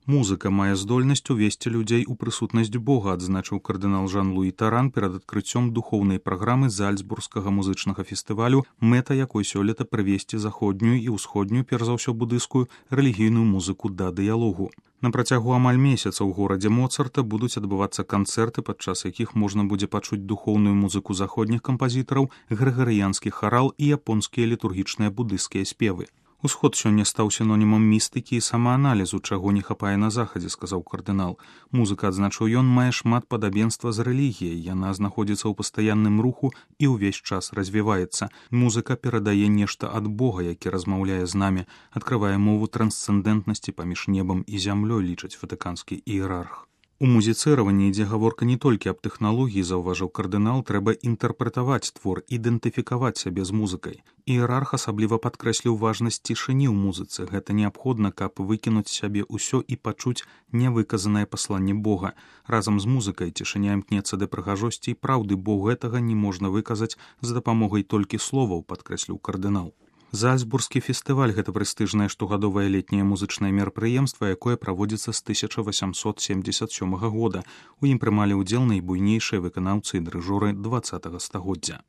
Музыка мае здольнасць увесці людзей у прысутнасць Бога, адзначыў кардынал Жан-Луі Таран перад адкрыццём духоўнай праграмы Зальцбургскага музычнага фестывалю, мэта якой сёлета прывесці заходнюю і ўсходнюю, перш за ўсё будыйскую, рэлігійную музыку да дыялогу. На працягу амаль месяца ў горадзе Моцарта будуць адбывацца канцэрты, падчас якіх можна будзе пачуць духоўную музыку заходніх кампазітараў, грыгарыянскі харал і японскія літургічныя будыйскія спевы. Усход сёння стаў сінонімам містыкі і самааналізу, чаго не хапае на захадзе, сказаў кардынал. Музыка, адзначыў ён, мае шмат падабенства з рэлігіяй, яна знаходзіцца ў пастаянным руху і ўвесь час развіваецца. Музыка перадае нешта ад Бога, які размаўляе з намі, адкрывае мову трансцэндэнтнасці паміж небам і зямлёй, лічыць ватыканскі іерарх. У музіцыраванні ідзе гаворка не толькі аб тэхналогіі, заўважыў кардынал, трэба інтэрпрэтаваць твор, ідэнтыфікаваць сябе з музыкай. Іерарх асабліва падкрэсліў важнасць цішыні ў музыцы. Гэта неабходна, каб выкінуць сябе ўсё і пачуць нявыказанае пасланне Бога. Разам з музыкай цішыня імкнецца да прыгажосці і праўды, бо гэтага не можна выказаць з дапамогай толькі словаў, падкрэсліў кардынал. Зальцбургскі фестываль – гэта прэстыжнае штогадовае летняе музычнае мерапрыемства, якое праводзіцца з 1877 года. У ім прымалі ўдзел найбуйнейшыя выканаўцы і дырыжоры 20 стагоддзя.